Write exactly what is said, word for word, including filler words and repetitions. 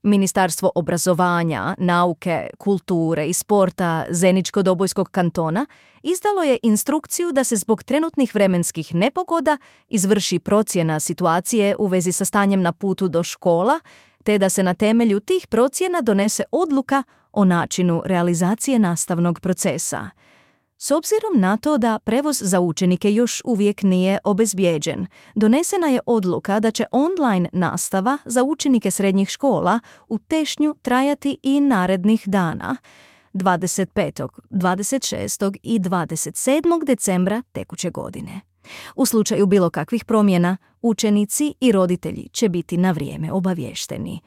Ministarstvo obrazovanja, nauke, kulture i sporta Zeničko-Dobojskog kantona izdalo je instrukciju da se zbog trenutnih vremenskih nepogoda izvrši procjena situacije u vezi sa stanjem na putu do škola, te da se na temelju tih procjena donese odluka o načinu realizacije nastavnog procesa. S obzirom na to da prevoz za učenike još uvijek nije obezbijeđen, donesena je odluka da će online nastava za učenike srednjih škola u Tešnju trajati i narednih dana, dvadeset petog, dvadeset šestog i dvadeset sedmog decembra tekuće godine. U slučaju bilo kakvih promjena, učenici i roditelji će biti na vrijeme obaviješteni.